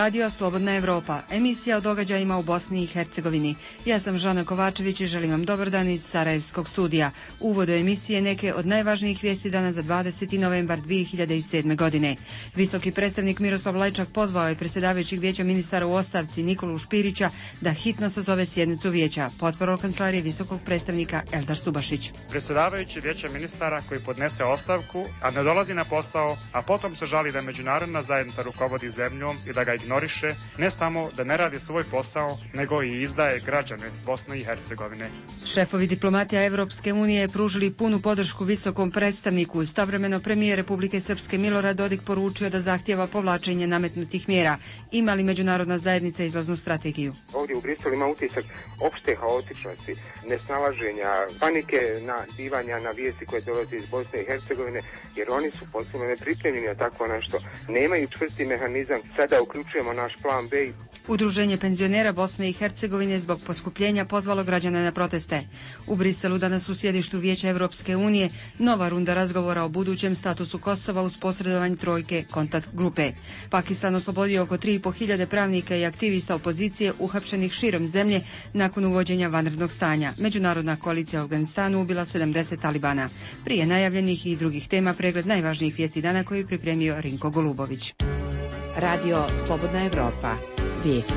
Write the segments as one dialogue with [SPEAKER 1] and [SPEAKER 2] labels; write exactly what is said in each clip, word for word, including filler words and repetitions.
[SPEAKER 1] Radio Slobodna Evropa, emisija o događajima u Bosni i Hercegovini. Ja sam Žana Kovačević i želim vam dobar dan iz Sarajevskog studija. U uvodu emisije neke od najvažnijih vijesti dana za dvadeseti novembar dvije hiljade sedme. godine. Visoki predstavnik Miroslav Lajčak pozvao je predsjedavajućeg vijeća ministara u ostavci Nikolu Špirića da hitno sazove sjednicu vijeća. Potporol kancelarije visokog predstavnika Eldar Subašić.
[SPEAKER 2] Predsjedavajući vijeća ministara koji podnese ostavku, a ne dolazi na posao, a potom se žali da međunarodna zajednica rukovodi zemljom i da ga ignoriše, ne samo da ne radi svoj posao, nego i izdaje građane Bosne i Hercegovine.
[SPEAKER 1] Šefovi diplomatija Evropske unije pružili punu podršku visokom predstavniku. Istovremeno premijer Republike Srpske Milorad Dodik poručio da zahtijeva povlačenje nametnutih mjera. Ima li međunarodna zajednica izlaznu strategiju?
[SPEAKER 3] Ovdje u Briselu ima utisak opšte haotičnosti, nesnalaženja, panike, na divanja na vijesti koje dolaze iz Bosne i Hercegovine, jer oni su potpuno nepripremljeni na tako nešto. Nemaju čvrsti mehanizam. Sada uključujemo naš plan B.
[SPEAKER 1] Udruženje penzionera Bosne i Hercegovine zbog poskupljenja pozvalo građane na proteste. U Briselu danas u sjedištu Vijeća Evropske unije nova runda razgovora o budućem statusu Kosova uz posredovanje trojke kontakt grupe. Pakistan oslobodio oko tri i po hiljade pravnika i aktivista opozicije uhapšenih širom zemlje nakon uvođenja vanrednog stanja. Međunarodna koalicija u Afganistanu ubila sedamdeset talibana. Prije najavljenih i drugih tema pregled najvažnijih vijesti dana koji je pripremio Rinko Golubović.
[SPEAKER 4] Radio Slobodna Evropa. Vijesti.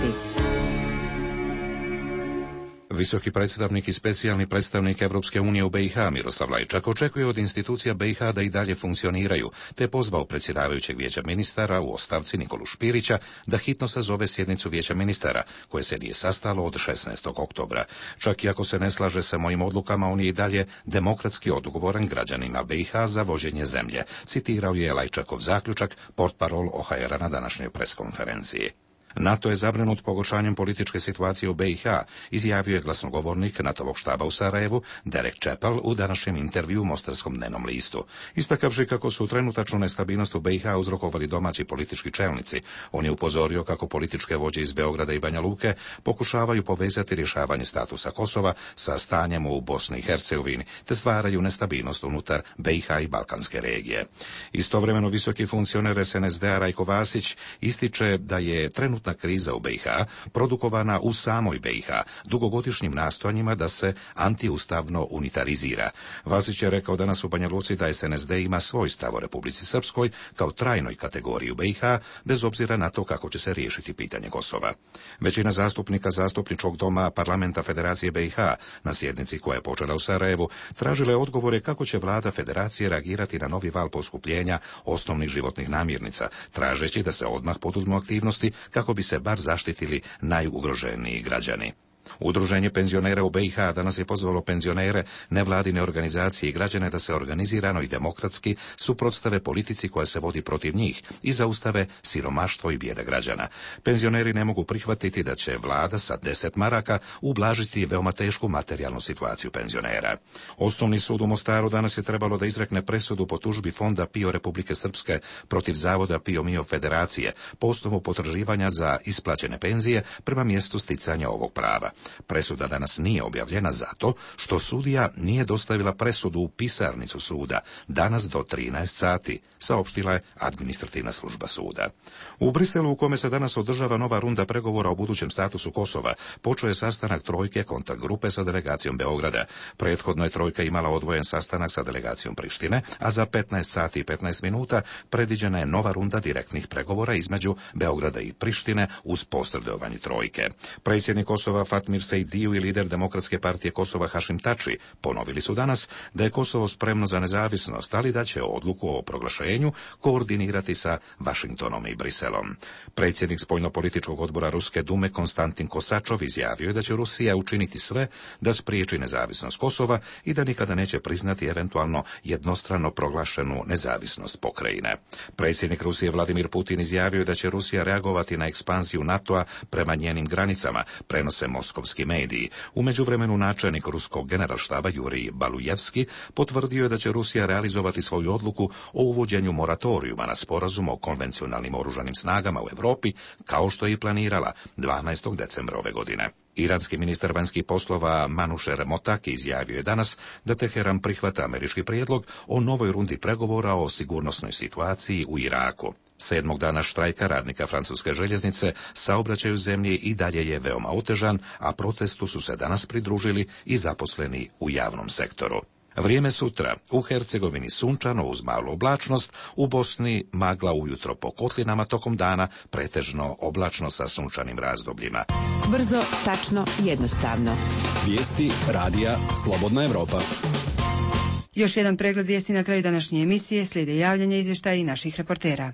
[SPEAKER 5] Visoki predstavnik i specijalni predstavnik Evropske unije u B i H Miroslav Lajčak očekuje od institucija B i H da i dalje funkcioniraju, te je pozvao predsjedavajućeg vijeća ministara u ostavci Nikolu Špirića da hitno sazove sjednicu vijeća ministara, koje se nije sastalo od šesnaestog oktobra. Čak i ako se ne slaže sa mojim odlukama, on je i dalje demokratski odgovoran građanima B i H za vođenje zemlje, citirao je Lajčakov zaključak portparol O H R-a na današnjoj preskonferenciji. NATO je zabrinut pogoršanjem političke situacije u B i H, izjavio je glasnogovornik NATO-vog štaba u Sarajevu, Derek Chappell, u današnjem intervju u Mostarskom dnevnom listu. Istakavši kako su trenutačnu nestabilnost u B i H uzrokovali domaći politički čelnici, on je upozorio kako političke vođe iz Beograda i Banja Luke pokušavaju povezati rješavanje statusa Kosova sa stanjem u Bosni i Hercegovini, te stvaraju nestabilnost unutar B i H i Balkanske regije. Istovremeno visoki funkcioner S N S D-a Rajko Vasić ističe da je trenutno kriza u B i H produkovana u samoj B i H dugogodišnjim nastojanjima da se antiustavno unitarizira. Vasić je rekao danas u Banja Luci da S N S D ima svoj stav o Republici Srpskoj kao trajnoj kategoriji u B i H, bez obzira na to kako će se riješiti pitanje Kosova. Većina zastupnika Zastupničkog doma Parlamenta Federacije B i H na sjednici koja je počela u Sarajevu tražila je odgovore kako će vlada Federacije reagirati na novi val poskupljenja osnovnih životnih namirnica, tražeći da se odmah poduzmu aktivnosti kako bi se bar zaštitili najugroženiji građani. Udruženje penzionera u B i H danas je pozvalo penzionere, nevladine organizacije i građane da se organizirano i demokratski suprotstave politici koja se vodi protiv njih i zaustave siromaštvo i bijeda građana. Penzioneri ne mogu prihvatiti da će vlada sa deset maraka ublažiti veoma tešku materijalnu situaciju penzionera. Osnovni sud u Mostaru danas je trebalo da izrekne presudu po tužbi Fonda PIO Republike Srpske protiv Zavoda PIO MIO Federacije po osnovu potraživanja za isplaćene penzije prema mjestu sticanja ovog prava. Presuda danas nije objavljena zato što sudija nije dostavila presudu u pisarnicu suda danas do trinaest sati, saopštila je administrativna služba suda. U Briselu, u kome se danas održava nova runda pregovora o budućem statusu Kosova, počeo je sastanak trojke kontakt grupe sa delegacijom Beograda. Prethodno je trojka imala odvojen sastanak sa delegacijom Prištine, a za petnaest sati i petnaest minuta predviđena je nova runda direktnih pregovora između Beograda i Prištine uz posredovanje trojke. Predsjednik Kosova Fatmir Sejdiu i lider Demokratske partije Kosova Hašim Tači ponovili su danas da je Kosovo spremno za nezavisnost, ali da će odluku o proglašenju koordinirati sa Vašingtonom i Briselom. Predsjednik spoljnopolitičkog odbora Ruske Dume Konstantin Kosačov izjavio je da će Rusija učiniti sve da spriječi nezavisnost Kosova i da nikada neće priznati eventualno jednostrano proglašenu nezavisnost pokrajine. Predsjednik Rusije Vladimir Putin izjavio je da će Rusija reagovati na ekspanziju NATO-a prema njenim granicama, prenose moskovski mediji. U međuvremenu načelnik ruskog generalštaba Jurij Balujevski potvrdio je da će Rusija realizovati svoju odluku o uvođenju moratorijuma na sporazum o konvencionalnim oružanim snagama u Europi, kao što je i planirala dvanaestog decembra ove godine. Iranski ministar vanjskih poslova Manušer Motaki izjavio je danas da Teheran prihvata američki prijedlog o novoj rundi pregovora o sigurnosnoj situaciji u Iraku. Sedmog dana štrajka radnika francuske željeznice saobraćaj u zemlji i dalje je veoma otežan, a protestu su se danas pridružili i zaposleni u javnom sektoru. Vrijeme sutra. U Hercegovini sunčano uz malu oblačnost, u Bosni magla ujutro po kotlinama, tokom dana pretežno oblačno sa sunčanim razdobljima.
[SPEAKER 4] Brzo, tačno, jednostavno.
[SPEAKER 6] Vijesti radija Slobodna Evropa.
[SPEAKER 1] Još jedan pregled vijesti na kraju današnje emisije, slijede javljanja izvještaja i naših reportera.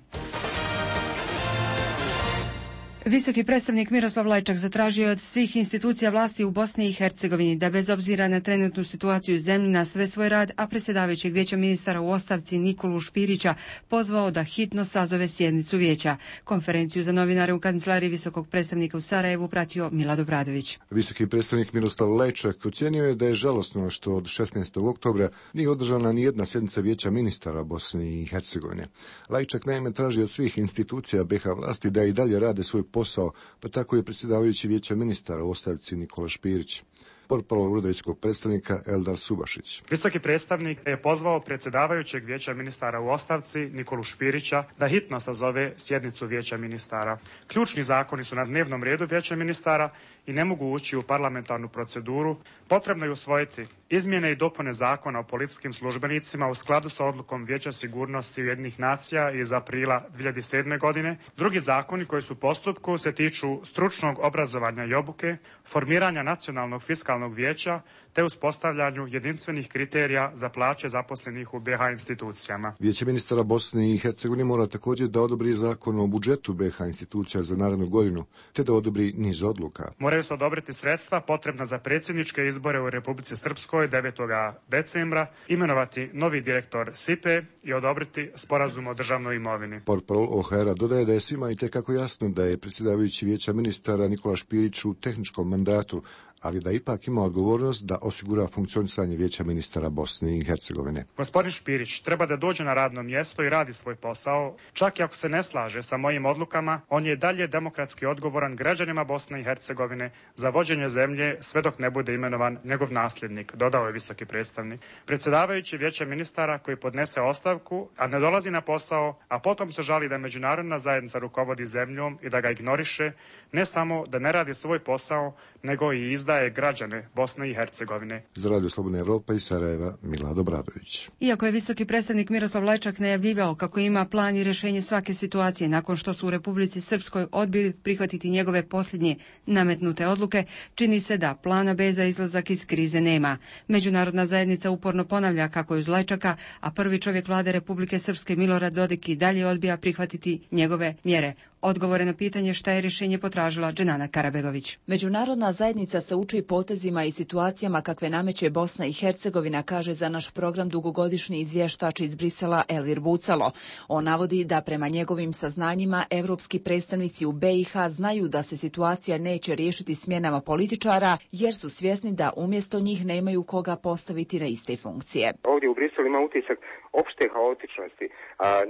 [SPEAKER 1] Visoki predstavnik Miroslav Lajčak zatražio od svih institucija vlasti u Bosni i Hercegovini da bez obzira na trenutnu situaciju u zemlji nastave svoj rad, a predsjedavajućeg vijeća ministara u ostavci Nikolu Špirića pozvao da hitno sazove sjednicu vijeća. Konferenciju za novinare u kancelariji visokog predstavnika u Sarajevu pratio Milad Obradović.
[SPEAKER 7] Visoki predstavnik Miroslav Lajčak ocijenio je da je žalosno što od šesnaestog oktobra nije održana ni jedna sjednica vijeća ministara Bosne i Hercegovine. Lajčak naime traži od svih institucija be ha vlasti da i dalje rade svoj posao, pa tako je predsjedavajući vijeća ministara u ostavci Nikola Špirić. Portparol uredničkog predstavnika Eldar Subašić.
[SPEAKER 2] Visoki predstavnik je pozvao predsjedavajućeg vijeća ministara u ostavci Nikolu Špirića da hitno sazove sjednicu vijeća ministara. Ključni zakoni su na dnevnom redu vijeća ministara i ne mogu ući u parlamentarnu proceduru. Potrebno je usvojiti izmjene i dopune zakona o policijskim službenicima u skladu sa odlukom Vijeća sigurnosti Ujedinjenih nacija iz aprila dvije hiljade sedme. godine. Drugi zakoni koji su u postupku se tiču stručnog obrazovanja i obuke, formiranja nacionalnog fiskalnog vijeća te uspostavljanju jedinstvenih kriterija za plaće zaposlenih u be ha institucijama.
[SPEAKER 7] Vijeće ministara Bosne i Hercegovine mora također da odobri zakon o budžetu be ha institucija za narednu godinu, te da odobri niz odluka.
[SPEAKER 2] Moraju se odobriti sredstva potrebna za predsjedničke izbore u Republici Srpskoj devetog decembra, imenovati novi direktor es i pe i odobriti sporazum o državnoj imovini.
[SPEAKER 7] Portparol o ha era dodaje da je svima itekako jasno da je predsjedavajući vijeća ministara Nikola Špirić u tehničkom mandatu, ali da ipak ima odgovornost da osigura funkcionisanje vijeća ministara Bosne i Hercegovine.
[SPEAKER 2] Gospodin Špirić treba da dođe na radno mjesto i radi svoj posao. Čak i ako se ne slaže sa mojim odlukama, on je dalje demokratski odgovoran građanima Bosne i Hercegovine za vođenje zemlje sve dok ne bude imenovan njegov nasljednik, dodao je visoki predstavnik. Predsjedavajući vijeća ministara koji podnese ostavku, a ne dolazi na posao, a potom se žali da međunarodna zajednica rukovodi zemljom i da ga ignoriše, ne samo da ne radi svoj posao, nego i izdaje građane Bosne i Hercegovine.
[SPEAKER 7] Za Radio Slobodna Evropa iz Sarajeva, Milad Obradović.
[SPEAKER 1] Iako je visoki predstavnik Miroslav Lajčak najavljivao kako ima plan i rješenje svake situacije nakon što su u Republici Srpskoj odbili prihvatiti njegove posljednje nametnute odluke, čini se da plana be za izlazak iz krize nema. Međunarodna zajednica uporno ponavlja kako je uz Lajčaka, a prvi čovjek vlade Republike Srpske Milorad Dodik i dalje odbija prihvatiti njegove mjere. Odgovore na pitanje šta je rješenje potražila Dženana Karabegović.
[SPEAKER 8] Međunarodna zajednica se uči potezima i situacijama kakve nameće Bosna i Hercegovina, kaže za naš program dugogodišnji izvještač iz Brisela Elvir Bucalo. On navodi da prema njegovim saznanjima evropski predstavnici u be i ha znaju da se situacija neće riješiti smjenama političara, jer su svjesni da umjesto njih nemaju koga postaviti na iste funkcije.
[SPEAKER 3] Ovdje u Briselu ima utisak opšte haotičnosti,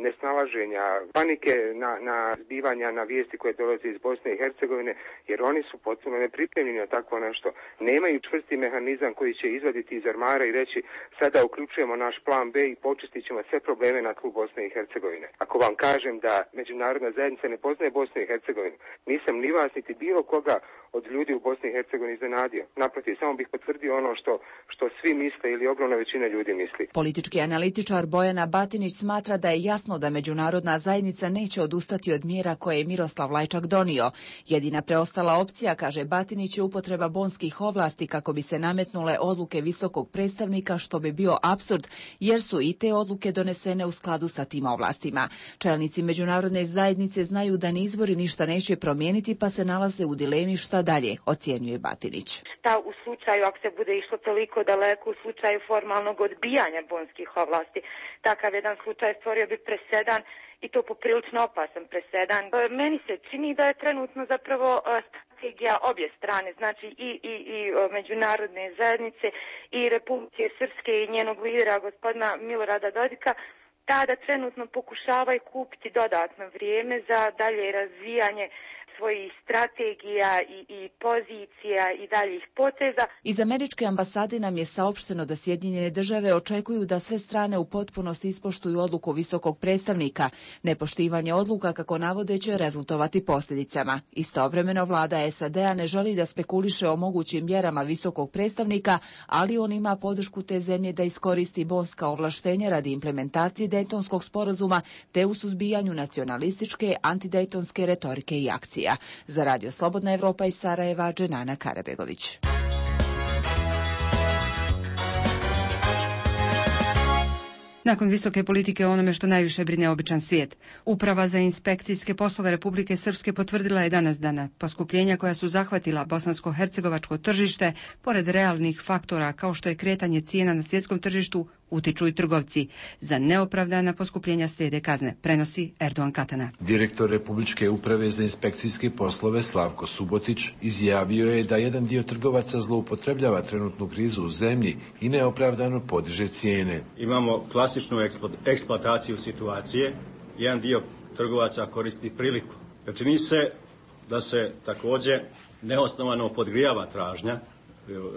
[SPEAKER 3] nesnalaženja, panike na, na zbivanja, na vijesti koje dolaze iz Bosne i Hercegovine, jer oni su potpuno nepripremljeni na takvo nešto. Nemaju čvrsti mehanizam koji će izvaditi iz armara i reći sada uključujemo naš plan be i počistit ćemo sve probleme na tlu Bosne i Hercegovine. Ako vam kažem da međunarodna zajednica ne poznaje Bosnu i Hercegovinu, nisam ni vas niti bilo koga od ljudi u Bosni i Hercegovini iznenadio. Naprotiv, samo bih potvrdio ono što, što svi misle ili ogromna većina ljudi misli.
[SPEAKER 8] Politički analitičar Bojana Batinić smatra da je jasno da međunarodna zajednica neće odustati od mjera koje je Miroslav Lajčak donio. Jedina preostala opcija, kaže Batinić, je upotreba bonskih ovlasti kako bi se nametnule odluke visokog predstavnika, što bi bio apsurd, jer su i te odluke donesene u skladu sa tim ovlastima. Čelnici međunarodne zajednice znaju da ni izbori ništa neće promijeniti, pa se nalaze u dilemi šta dalje, ocjenjuje Batinić.
[SPEAKER 9] Šta u slučaju, ako se bude išlo toliko daleko, u slučaju formalnog odbijanja bonskih ovlasti, takav jedan slučaj stvorio bi presedan i to poprilično opasan presedan. Meni se čini da je trenutno zapravo strategija obje strane, znači i, i, i međunarodne zajednice i Republike Srpske i njenog lidera gospodina Milorada Dodika, ta da trenutno pokušavaju kupiti dodatno vrijeme za dalje razvijanje svojih strategija i, i pozicija i daljih poteza.
[SPEAKER 8] Iz američke ambasade nam je saopšteno da Sjedinjene države očekuju da sve strane u potpunosti ispoštuju odluku visokog predstavnika. Nepoštivanje odluka, kako navode, će rezultovati posljedicama. Istovremeno vlada S A D-a ne želi da spekuliše o mogućim mjerama visokog predstavnika, ali on ima podršku te zemlje da iskoristi bonska ovlaštenja radi implementacije Dejtonskog sporazuma te u suzbijanju nacionalističke, antidejtonske retorike i akcija. Za Radio Slobodna Evropa iz Sarajeva, Dženana Karabegović.
[SPEAKER 1] Nakon visoke politike o onome što najviše brine običan svijet, Uprava za inspekcijske poslove Republike Srpske potvrdila je danas dana poskupljenja koja su zahvatila bosansko-hercegovačko tržište, pored realnih faktora kao što je kretanje cijena na svjetskom tržištu, utiču i trgovci. Za neopravdana poskupljenja slijede kazne, prenosi Erdogan Katana.
[SPEAKER 10] Direktor Republičke uprave za inspekcijske poslove Slavko Subotić izjavio je da jedan dio trgovaca zloupotrebljava trenutnu krizu u zemlji i neopravdano podiže cijene.
[SPEAKER 11] Imamo klasičnu eksploataciju situacije. Jedan dio trgovaca koristi priliku. Čini se da se također neosnovano podgrijava tražnja.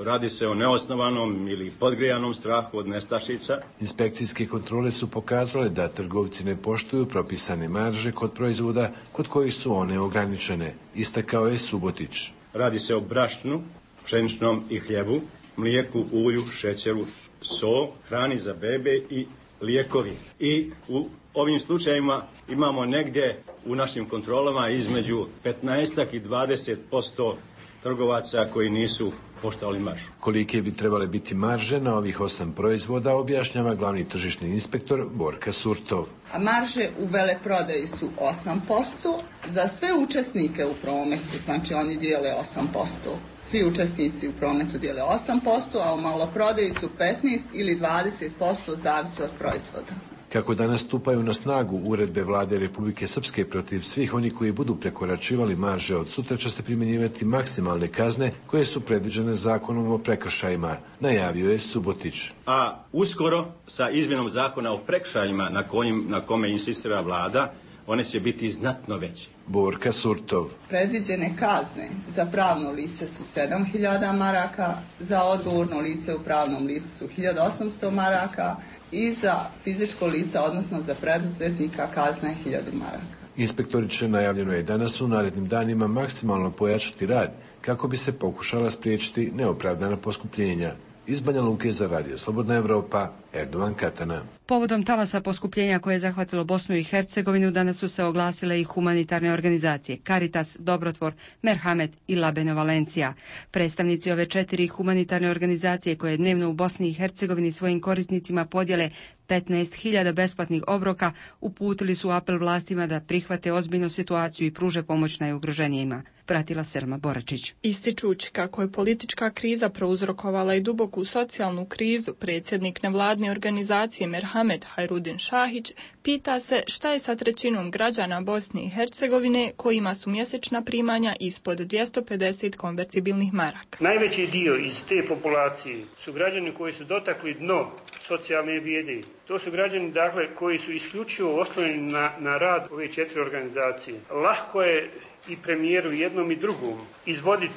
[SPEAKER 11] Radi se o neosnovanom ili podgrijanom strahu od nestašica.
[SPEAKER 10] Inspekcijske kontrole su pokazale da trgovci ne poštuju propisane marže kod proizvoda kod kojih su one ograničene, istakao je Subotić.
[SPEAKER 11] Radi se o brašnu, pšeničnom i hljebu, mlijeku, ulju, šećeru, so, hrani za bebe i lijekovi. I u ovim slučajevima imamo negdje u našim kontrolama između petnaest i dvadeset posto trgovaca koji nisu poštovali maržu.
[SPEAKER 10] Kolike bi trebale biti marže na ovih osam proizvoda, objašnjava glavni tržišni inspektor Borka Surtov.
[SPEAKER 12] A marže u veleprodaji su osam posto, za sve učesnike u prometu, znači oni dijele osam posto. Svi učesnici u prometu dijele osam posto, a u maloprodaji su petnaest ili dvadeset posto, zavisi od proizvoda.
[SPEAKER 10] Kako danas stupaju na snagu uredbe vlade Republike Srpske protiv svih oni koji budu prekoračivali marže, od sutra će se primjenjivati maksimalne kazne koje su predviđene zakonom o prekršajima, najavio je Subotić.
[SPEAKER 11] A uskoro sa izmjenom zakona o prekršajima na, kojim, na kome insistira vlada, one će biti znatno veće.
[SPEAKER 10] Borka Surtov.
[SPEAKER 12] Predviđene kazne za pravno lice su sedam hiljada maraka, za odgovorno lice u pravnom licu su hiljadu osamsto maraka i za fizičko lice, odnosno za preduzetnika, kazna je hiljadu maraka.
[SPEAKER 10] Inspektori će, najavljeno je danas, u narednim danima maksimalno pojačati rad kako bi se pokušala spriječiti neopravdana poskupljenja. Iz Banja Luke za Radio Slobodna Evropa, Erdogan Katana.
[SPEAKER 1] Povodom talasa poskupljenja koje je zahvatilo Bosnu i Hercegovinu, danas su se oglasile i humanitarne organizacije Caritas, Dobrotvor, Merhamet i La Benevolencia. Predstavnici ove četiri humanitarne organizacije koje dnevno u Bosni i Hercegovini svojim korisnicima podjele petnaest hiljada besplatnih obroka, uputili su apel vlastima da prihvate ozbiljnu situaciju i pruže pomoć najugroženijima. Pratila Selma Boračić.
[SPEAKER 13] Ističući kako je politička kriza prouzrokovala i duboku socijalnu krizu, predsjednik nevladne organizacije Merhamet Hajrudin Šahić pita se šta je sa trećinom građana Bosne i Hercegovine kojima su mjesečna primanja ispod dvjesto pedeset konvertibilnih maraka.
[SPEAKER 14] Najveći dio iz te populacije su građani koji su dotakli dno socijalne bijede. To su građani, dakle, koji su isključivo oslonjeni na, na rad ove četiri organizacije. Lahko je i premijeru jednom i drugom izvoditi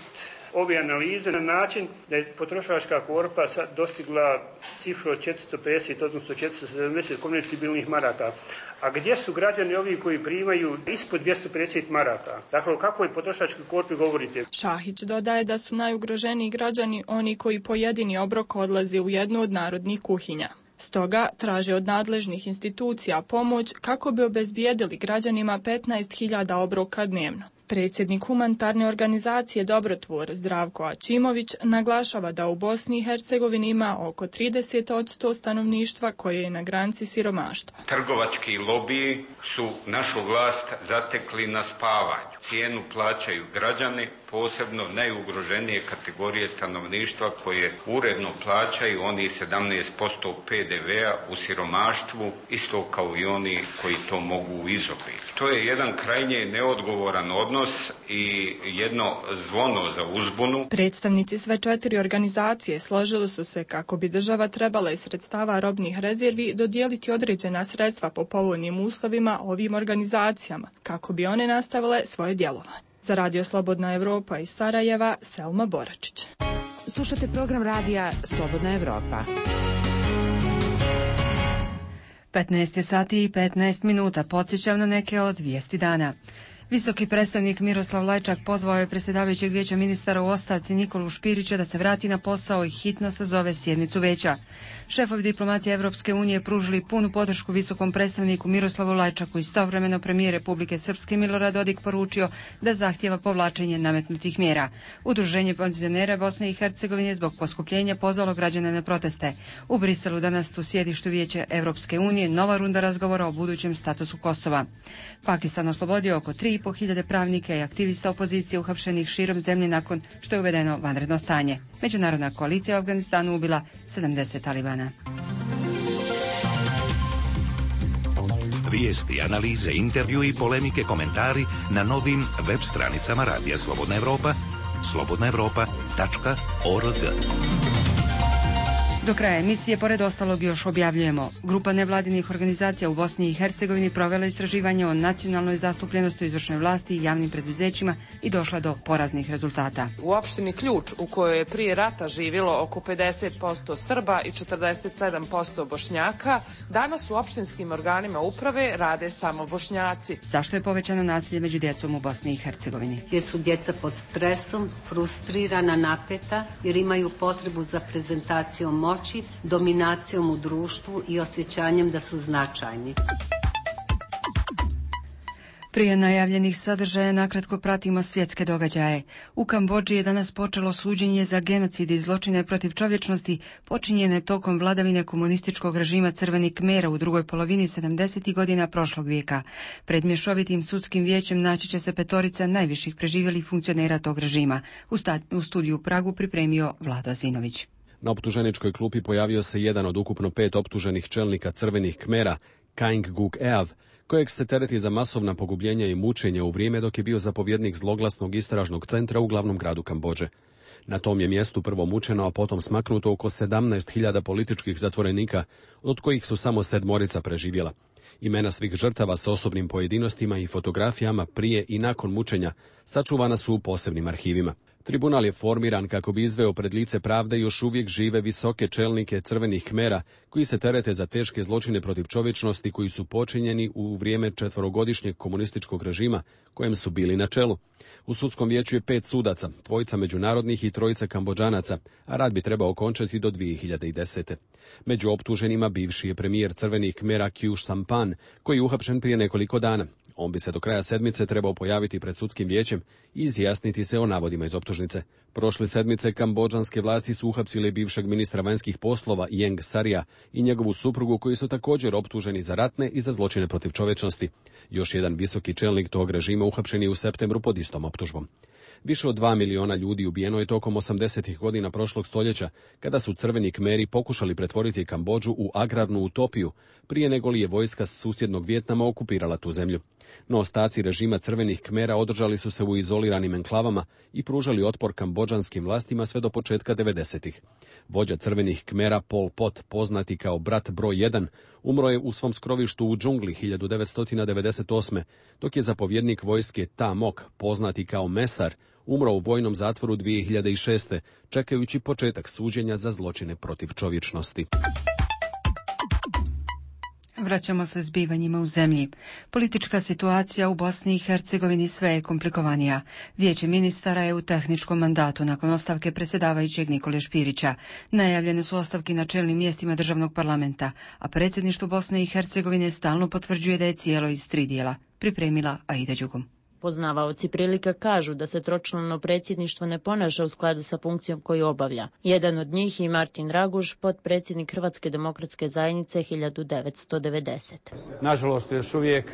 [SPEAKER 14] ove analize na način da je potrošačka korpa sad dostigla cifru od četiristo pedeset, odnosno četiristo sedamdeset konvertibilnih maraka. A gdje su građani ovi koji primaju ispod dvjesto pedeset maraka? Dakle, o kakvoj potrošačkoj korpi govorite?
[SPEAKER 13] Šahić dodaje da su najugroženiji građani oni koji po jedini obrok odlaze u jednu od narodnih kuhinja. Stoga traže od nadležnih institucija pomoć kako bi obezbijedili građanima petnaest hiljada obroka dnevno. Predsjednik humanitarne organizacije Dobrotvor Zdravko Ačimović naglašava da u Bosni i Hercegovini ima oko trideset posto stanovništva koje je na granici siromaštva.
[SPEAKER 15] Trgovački lobiji su našu vlast zatekli na spavanju. Cijenu plaćaju građani, posebno najugroženije kategorije stanovništva koje uredno plaćaju oni sedamnaest posto P D V-a u siromaštvu, isto kao i oni koji to mogu izobiti. To je jedan krajnje neodgovoran odnos i jedno zvono za uzbunu.
[SPEAKER 13] Predstavnici sve četiri organizacije složili su se kako bi država trebala iz sredstava robnih rezervi dodijeliti određena sredstva po povoljnim uslovima ovim organizacijama, kako bi one nastavile svoje djelovanje. Za Radio Slobodna Evropa iz Sarajeva, Selma Boračić.
[SPEAKER 4] Slušate program radija Slobodna Evropa.
[SPEAKER 1] petnaest je sati i petnaest minuta. Podsjećam na neke od vijesti dana. Visoki predstavnik Miroslav Lajčak pozvao je predsjedavajućeg vijeća ministara u ostavci Nikolu Špirića da se vrati na posao i hitno sazove sjednicu vijeća. Šefovi diplomatije Evropske unije pružili punu podršku visokom predstavniku Miroslavu Lajčaku. Istovremeno premijer Republike Srpske Milorad Dodik poručio da zahtjeva povlačenje nametnutih mjera. Udruženje penzionera Bosne i Hercegovine zbog poskupljenja pozvalo građane na proteste. U Briselu danas u sjedištu vijeća Evropske unije nova runda razgovora o budućem statusu Kosova. Pakistan oslobodio oko tri i po hiljade pravnika i aktivista opozicije uhapšenih širom zemlje nakon što je uvedeno vanredno stanje. Međunarodna koalicija u Afganistanu ubila sedamdeset talibana.
[SPEAKER 5] Vijesti, analize, intervju i polemike, komentari na novim web stranicama Radija Slobodna Evropa, slobodna evropa tačka org.
[SPEAKER 1] Do kraja emisije, pored ostalog, još objavljujemo. Grupa nevladinih organizacija u Bosni i Hercegovini provela istraživanje o nacionalnoj zastupljenosti u izvršnoj vlasti i javnim preduzećima i došla do poraznih rezultata.
[SPEAKER 16] U opštini Ključ, u kojoj je prije rata živjelo oko pedeset posto Srba i četrdeset sedam posto Bošnjaka, danas u opštinskim organima uprave rade samo Bošnjaci.
[SPEAKER 1] Zašto je povećano nasilje među djecom u Bosni i Hercegovini?
[SPEAKER 17] Jer su djeca pod stresom, frustrirana, napeta, jer imaju potrebu za prezentacijom moći, dominacijom u društvu i osjećanjem da su značajni.
[SPEAKER 1] Prije najavljenih sadržaja nakratko pratimo svjetske događaje. U Kambodži je danas počelo suđenje za genocid i zločine protiv čovječnosti počinjene tokom vladavine komunističkog režima Crvenih Kmera u drugoj polovini sedamdesetih godina prošlog vijeka. Pred mješovitim sudskim vijećem naći će se petorica najviših preživjelih funkcionera tog režima. U, sta- u studiju u Pragu pripremio Vlado Azinović.
[SPEAKER 6] Na optuženičkoj klupi pojavio se jedan od ukupno pet optuženih čelnika Crvenih Kmera, Kaing Guk Eav, kojeg se tereti za masovna pogubljenja i mučenja u vrijeme dok je bio zapovjednik zloglasnog istražnog centra u glavnom gradu Kambodže. Na tom je mjestu prvo mučeno, a potom smaknuto oko sedamnaest hiljada političkih zatvorenika, od kojih su samo sedmorica preživjela. Imena svih žrtava s osobnim pojedinostima i fotografijama prije i nakon mučenja sačuvana su u posebnim arhivima. Tribunal je formiran kako bi izveo pred lice pravde još uvijek žive visoke čelnike Crvenih Kmera koji se terete za teške zločine protiv čovječnosti koji su počinjeni u vrijeme četverogodišnjeg komunističkog režima kojem su bili na čelu. U sudskom vijeću je pet sudaca, dvojica međunarodnih i trojica Kambodžanaca, a rad bi trebao okončati do dvije hiljade desete. Među optuženima bivši je premijer Crvenih Kmera Kjuš Sampan, koji je uhapšen prije nekoliko dana. On bi se do kraja sedmice trebao pojaviti pred sudskim vijećem i izjasniti se o navodima iz optužnice. Prošle sedmice kambodžanske vlasti su uhapsile bivšeg ministra vanjskih poslova Ieng Sarija i njegovu suprugu koji su također optuženi za ratne i za zločine protiv čovječnosti. Još jedan visoki čelnik tog režima uhapšen je u septembru pod istom optužbom. Više od dva miliona ljudi ubijeno je tokom osamdesetih godina prošlog stoljeća, kada su Crveni Kmeri pokušali pretvoriti Kambodžu u agrarnu utopiju, prije nego li je vojska susjednog Vijetnama okupirala tu zemlju. No ostaci režima Crvenih Kmera održali su se u izoliranim enklavama i pružali otpor kambodžanskim vlastima sve do početka devedesetih. Vođa Crvenih Kmera Pol Pot, poznati kao brat broj jedan, umro je u svom skrovištu u džungli hiljadu devetsto devedeset osme, dok je zapovjednik vojske Ta Mok, poznati kao Mesar, umro u vojnom zatvoru dvije hiljade šeste, čekajući početak suđenja za zločine protiv čovječnosti.
[SPEAKER 1] Vraćamo se zbivanjima u zemlji. Politička situacija u Bosni i Hercegovini sve je komplikovanija. Vijeće ministara je u tehničkom mandatu nakon ostavke predsjedavajućeg Nikole Špirića. Najavljene su ostavke na čelnim mjestima državnog parlamenta, a predsjedništvo Bosne i Hercegovine stalno potvrđuje da je cijelo iz tri dijela. Pripremila Aida Đugum.
[SPEAKER 18] Poznavaoci prilika kažu da se tročlano predsjedništvo ne ponaša u skladu sa funkcijom koju obavlja. Jedan od njih je Martin Raguž, potpredsjednik Hrvatske demokratske zajednice hiljadu devetsto devedesete.
[SPEAKER 19] Nažalost, još uvijek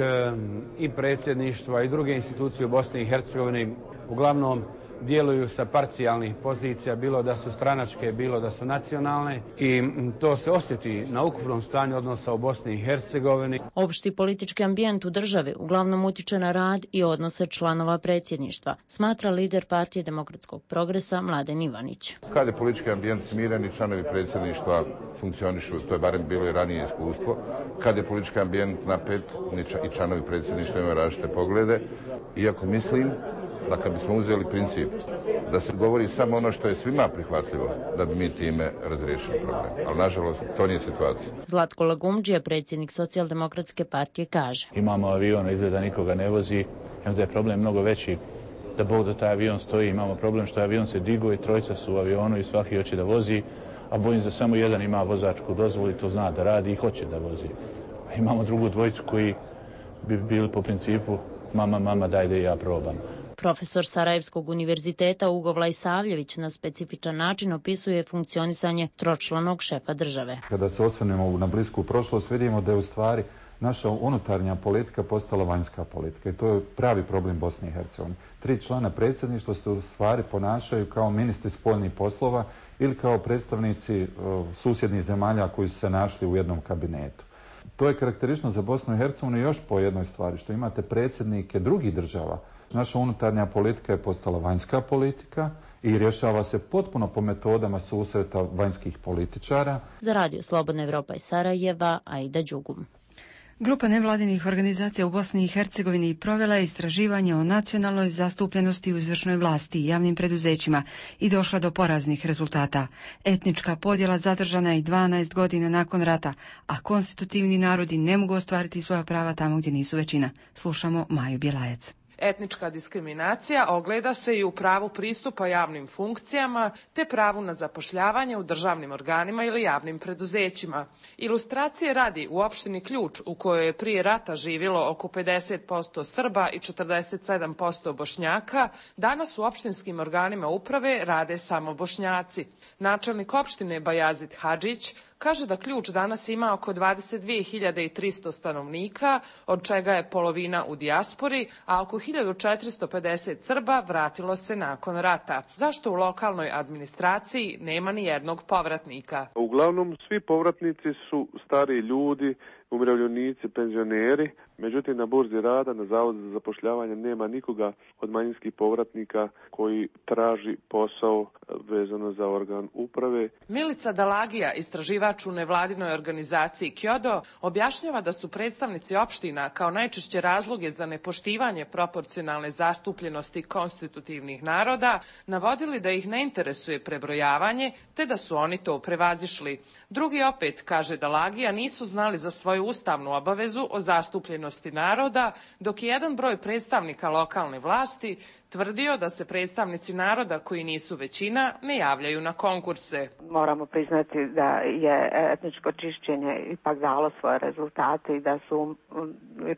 [SPEAKER 19] i predsjedništva i druge institucije u Bosni i Hercegovini uglavnom djeluju sa parcijalnih pozicija, bilo da su stranačke, bilo da su nacionalne, i to se osjeti na ukupnom stanju odnosa u Bosni i Hercegovini.
[SPEAKER 18] Opšti politički ambijent u državi uglavnom utiče na rad i odnose članova predsjedništva, smatra lider Partije demokratskog progresa Mladen Ivanić.
[SPEAKER 20] Kad je politički ambijent smiren i članovi predsjedništva funkcionišu, to je barem bilo i ranije iskustvo. Kad je politički ambijent napet i članovi predsjedništva imaju različite poglede, iako mislim da kad bismo uzeli princip da se govori samo ono što je svima prihvatljivo, da bi mi time razriješili problem. Ali nažalost to nije situacija.
[SPEAKER 18] Zlatko Lagumdžija, predsjednik Socijaldemokratske partije, kaže:
[SPEAKER 21] Imamo avion, izgleda nikoga ne vozi, onda je problem mnogo veći. Da Bog da taj avion stoji, imamo problem što avion se digo i trojica su u avionu i svaki hoće da vozi, a bojim se da samo jedan ima vozačku dozvolu i to zna da radi i hoće da vozi. A imamo drugu dvojicu koji bi bili po principu mama, mama, daj da i ja probam.
[SPEAKER 18] Profesor Sarajevskog univerziteta Ugo Vlajsavljević na specifičan način opisuje funkcionisanje tročlanog šefa države.
[SPEAKER 22] Kada se osvrnemo na blisku prošlost, vidimo da je u stvari naša unutarnja politika postala vanjska politika i to je pravi problem Bosne i Hercegovine. Tri člana predsjedništva se u stvari ponašaju kao ministri spoljnih poslova ili kao predstavnici uh, susjednih zemalja koji su se našli u jednom kabinetu. To je karakteristično za Bosnu i Hercegovinu još po jednoj stvari, što imate predsjednike drugih država. Naša unutarnja politika je postala vanjska politika i rješava se potpuno po metodama susreta vanjskih političara.
[SPEAKER 18] Za Radio Slobodna Evropa iz Sarajeva, Aida Đugum.
[SPEAKER 1] Grupa nevladinih organizacija u Bosni i Hercegovini provela je istraživanje o nacionalnoj zastupljenosti u izvršnoj vlasti i javnim preduzećima i došla do poraznih rezultata. Etnička podjela zadržana je i dvanaest godina nakon rata, a konstitutivni narodi ne mogu ostvariti svoja prava tamo gdje nisu većina. Slušamo Maju Bjelajac.
[SPEAKER 16] Etnička diskriminacija ogleda se i u pravu pristupa javnim funkcijama te pravu na zapošljavanje u državnim organima ili javnim preduzećima. Ilustracije radi u opštini Ključ, u kojoj je prije rata živjelo oko pedeset posto Srba i četrdeset sedam posto Bošnjaka, danas u opštinskim organima uprave rade samo Bošnjaci. Načelnik opštine Bajazid Hadžić kaže da Ključ danas ima oko dvadeset dvije hiljade tristo stanovnika, od čega je polovina u dijaspori, a oko hiljadu četiristo pedeset Srba vratilo se nakon rata. Zašto u lokalnoj administraciji nema ni jednog povratnika?
[SPEAKER 23] Uglavnom svi povratnici su stari ljudi, umirovljenici, penzioneri. Međutim, na burzi rada, na Zavodu za zapošljavanje nema nikoga od manjinskih povratnika koji traži posao vezano za organ uprave.
[SPEAKER 16] Milica Dalagija, istraživač u nevladinoj organizaciji Kjodo, objašnjava da su predstavnici opština kao najčešće razloge za nepoštivanje proporcionalne zastupljenosti konstitutivnih naroda navodili da ih ne interesuje prebrojavanje, te da su oni to prevazišli. Drugi opet, kaže Dalagija, nisu znali za svoju ustavnu obavezu o zastupljenosti naroda, dok je jedan broj predstavnika lokalne vlasti tvrdio da se predstavnici naroda koji nisu većina ne javljaju na konkurse.
[SPEAKER 24] Moramo priznati da je etničko čišćenje ipak dalo svoje rezultate i da su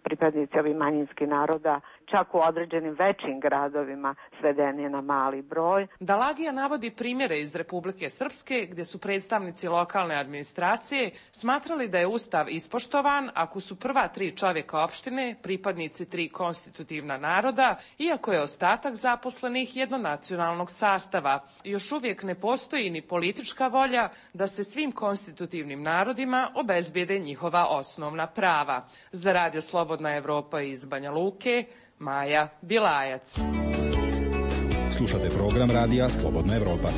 [SPEAKER 24] pripadnici ovih manjinskih naroda čak u određenim većim gradovima svedeni na mali broj.
[SPEAKER 16] Dalagija navodi primjere iz Republike Srpske gdje su predstavnici lokalne administracije smatrali da je ustav ispoštovan ako su prva tri čovjeka opštine pripadnici tri konstitutivna naroda, iako je ostatak zaposlenih jednonacionalnog sastava. Još uvijek ne postoji ni politička volja da se svim konstitutivnim narodima obezbijede njihova osnovna prava. Za Radio Slobodna Evropa iz Banja Luke, Maja Bilajac.
[SPEAKER 25] Slušate program Radija Slobodna Evropa.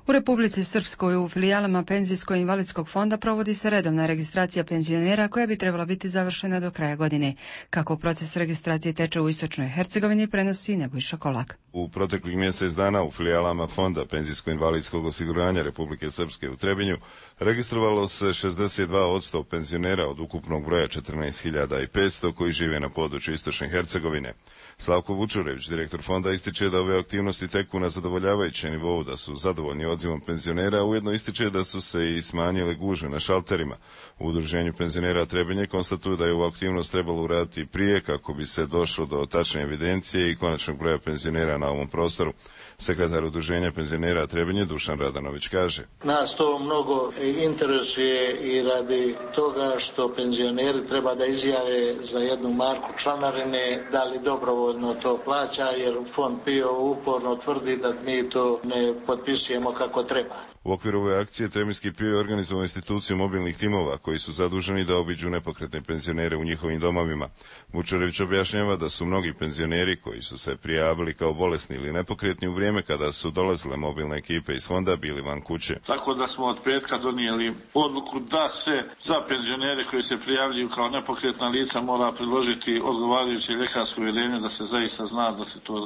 [SPEAKER 1] U Republici Srpskoj u filijalama Penzijsko-invalidskog fonda provodi se redovna registracija penzionera koja bi trebala biti završena do kraja godine. Kako proces registracije teče u Istočnoj Hercegovini prenosi Nebojša Kolak.
[SPEAKER 26] U proteklih mjesec dana u filijalama Fonda Penzijsko-invalidskog osiguranja Republike Srpske u Trebinju registrovalo se šezdeset dva posto penzionera od ukupnog broja četrnaest hiljada petsto koji žive na području Istočne Hercegovine. Slavko Vučurević, direktor fonda, ističe da ove aktivnosti teku na zadovoljavajućem nivou, da su zadovoljni odzivom penzionera, a ujedno ističe da su se i smanjile gužve na šalterima. U Udruženju penzionera Trebinje konstatuju da je ovu aktivnost trebalo uraditi prije kako bi se došlo do tačne evidencije i konačnog broja penzionera na ovom prostoru. Sekretar Udruženja penzionera Trebinje Dušan Radanović kaže:
[SPEAKER 27] Nas to mnogo interesuje i radi toga što penzioneri treba da izjave za jednu marku članarine da li dobrovoljno to plaća, jer fond P I O uporno tvrdi da mi to ne potpisujemo kako treba.
[SPEAKER 26] U okviru ove akcije Trebinski P I O je organizovao instituciju mobilnih timova koji su zaduženi da obiđu nepokretne penzionere u njihovim domovima. Vučerević objašnjava da su mnogi penzioneri koji su se prijavili kao bolesni ili nepokretni u vrijeme kada su dolazile mobilne ekipe iz fonda bili van kuće.
[SPEAKER 27] Tako da smo od petka donijeli odluku da se za penzionere koji se prijavljuju kao nepokretna lica mora priložiti odgovarajuće ljekarsko uvjerenje da se zaista zna da se to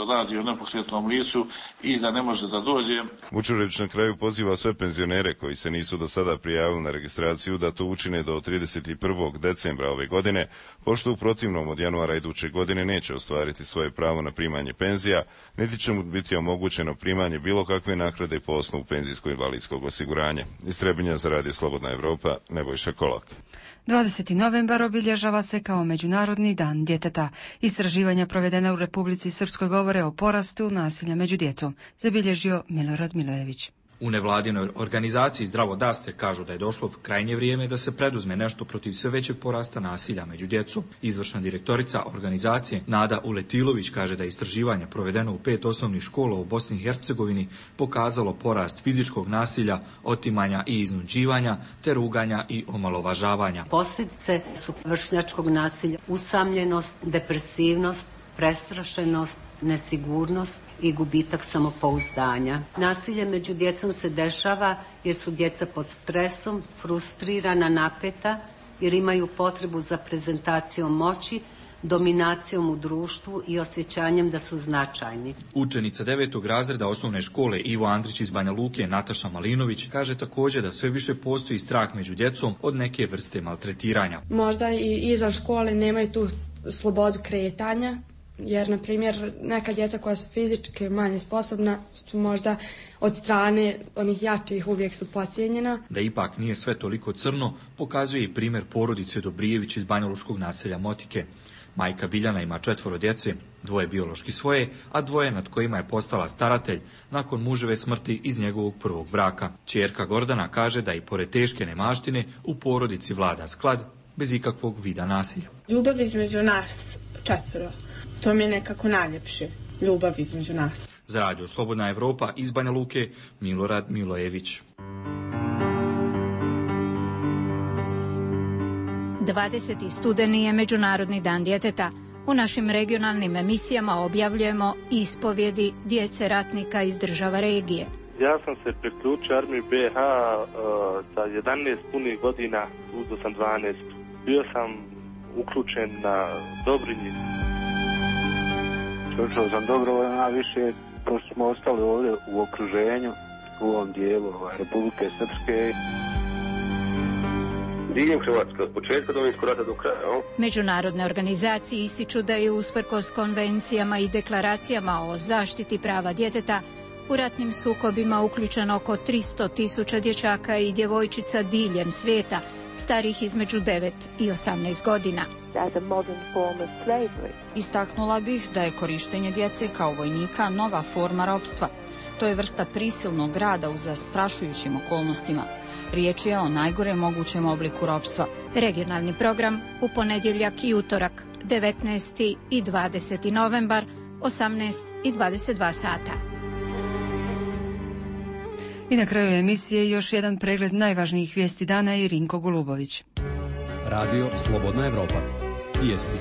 [SPEAKER 27] radi o nepokretnom licu i da ne može da dođe.
[SPEAKER 26] Vučerević na kraju poziva sve penzionere koji se nisu do sada prijavili na registraciju da to učine do trideset prvog decembra ove godine, pošto u protivnom od januara iduće godine neće ostvariti svoje pravo na primanje penzija, niti će mu biti omogućeno primanje bilo kakve naknade po osnovu penzijsko-invalidskog osiguranja. Iz Trebinja za Radio Slobodna Evropa, Nebojša Kolak.
[SPEAKER 1] dvadeseti novembar obilježava se kao Međunarodni dan djeteta. Istraživanja provedena u Republici Srpskoj govore o porastu nasilja među djecom, zabilježio Milorad Milojević.
[SPEAKER 2] U nevladinoj organizaciji Zdravo daste kažu da je došlo krajnje vrijeme da se preduzme nešto protiv sve većeg porasta nasilja među djecom. Izvršna direktorica organizacije Nada Uletilović kaže da je istraživanje provedeno u pet osnovnih škola u Bosni i Hercegovini pokazalo porast fizičkog nasilja, otimanja i iznuđivanja, te ruganja i omalovažavanja.
[SPEAKER 17] Posljedice su vršnjačkog nasilja, usamljenost, depresivnost, prestrašenost, nesigurnost i gubitak samopouzdanja. Nasilje među djecom se dešava jer su djeca pod stresom, frustrirana, napeta, jer imaju potrebu za prezentacijom moći, dominacijom u društvu i osjećanjem da su značajni.
[SPEAKER 2] Učenica devetog razreda osnovne škole Ivo Andrić iz Banja Luke, Nataša Malinović, kaže također da sve više postoji strah među djecom od neke vrste maltretiranja.
[SPEAKER 3] Možda i izvan škole nemaju tu slobodu kretanja, jer, na primjer, neka djeca koja su fizički manje sposobna su možda od strane onih jačih uvijek su podcijenjena.
[SPEAKER 2] Da ipak nije sve toliko crno, pokazuje i primjer porodice Dobrijević iz banjaluškog naselja Motike. Majka Biljana ima četvoro djece, dvoje biološki svoje, a dvoje nad kojima je postala staratelj nakon muževe smrti iz njegovog prvog braka. Ćerka Gordana kaže da i pored teške nemaštine u porodici vlada sklad bez ikakvog vida nasilja.
[SPEAKER 7] Ljubav između nas četvoro. To mi je nekako najljepše, ljubav između nas.
[SPEAKER 2] Za Radio Slobodna Evropa iz Banja Luke, Milorad Milojević.
[SPEAKER 8] dvadeseti studeni je Međunarodni dan djeteta. U našim regionalnim emisijama objavljujemo ispovjedi djece ratnika iz država regije.
[SPEAKER 23] Ja sam se priključio armiji B H uh, sa jedanaest punih godina, uzeo sam dvanaest. Bio sam uključen na Dobrinji.
[SPEAKER 9] Učio sam dobrovoljno, a više pošto smo ostali ovdje u okruženju, u ovom dijelu Republike Srpske.
[SPEAKER 11] Diljem Hrvatske, od početka Domovinskog rata do kraja.
[SPEAKER 8] Međunarodne organizacije ističu da je usprkos konvencijama i deklaracijama o zaštiti prava djeteta u ratnim sukobima uključeno oko tristo tisuća dječaka i djevojčica diljem svijeta, starih između devet i osamnaest godina.
[SPEAKER 12] Istaknula bih da je korištenje djece kao vojnika nova forma ropstva. To je vrsta prisilnog rada u zastrašujućim okolnostima. Riječ je o najgore mogućem obliku ropstva.
[SPEAKER 8] Regionalni program u ponedjeljak i utorak, devetnaesti i dvadeseti novembar, osamnaest i dvadeset dva sata.
[SPEAKER 1] I na kraju emisije još jedan pregled najvažnijih vijesti dana i Rinko Golubović.
[SPEAKER 25] Radio Slobodna Evropa. Vijesti.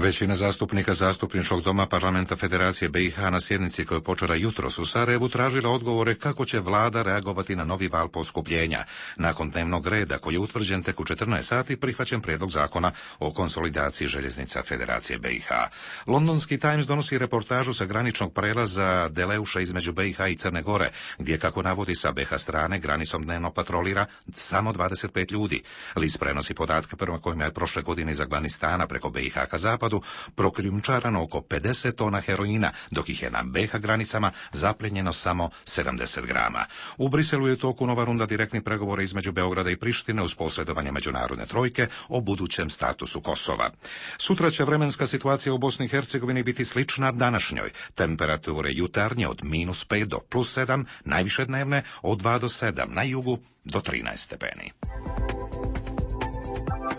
[SPEAKER 5] Većina zastupnika Zastupničkog doma Parlamenta Federacije B i H na sjednici koja je počela jutros u Sarajevu tražila odgovore kako će vlada reagovati na novi val poskupljenja. Nakon dnevnog reda koji je utvrđen tek u četrnaest sati prihvaćen prijedlog zakona o konsolidaciji željeznica Federacije B i H. Londonski Times donosi reportažu sa graničnog prelaza Deleuša između B i H i Crne Gore, gdje, kako navodi sa B i H strane, granicom dnevno patrolira samo dvadeset pet ljudi. List prenosi podatke prema kojima je prošle godine iz Afganistana preko B i H ka zapadu prokrijumčarano oko pedeset tona heroina, dok ih je na B i H granicama zapljenjeno samo sedamdeset grama. U Briselu je u toku nova runda direktnih pregovora između Beograda i Prištine uz posredovanje međunarodne trojke o budućem statusu Kosova. Sutra će vremenska situacija u Bosni i Hercegovini biti slična današnjoj. Temperature jutarnje od minus pet do plus sedam, najviše dnevne od dva do sedam, na jugu do trinaest stepeni.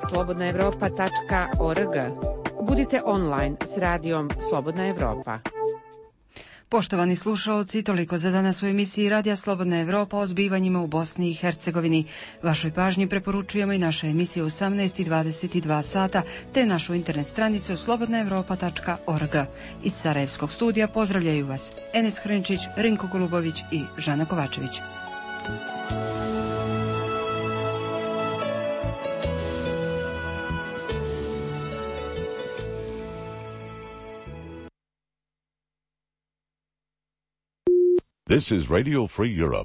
[SPEAKER 4] slobodna evropa tačka org. Budite online s radijom Slobodna Evropa.
[SPEAKER 1] Poštovani slušalci, toliko za danas u emisiji Radija Slobodna Evropa o zbivanjima u Bosni i Hercegovini. Vašoj pažnji preporučujemo i naše emisije u osamnaest i dvadeset dva sata, te našu internet stranicu slobodna evropa tačka org. Iz Sarajevskog studija pozdravljaju vas Enes Hrnčić, Rinko Golubović i Žana Kovačević.
[SPEAKER 6] This is Radio Free Europe.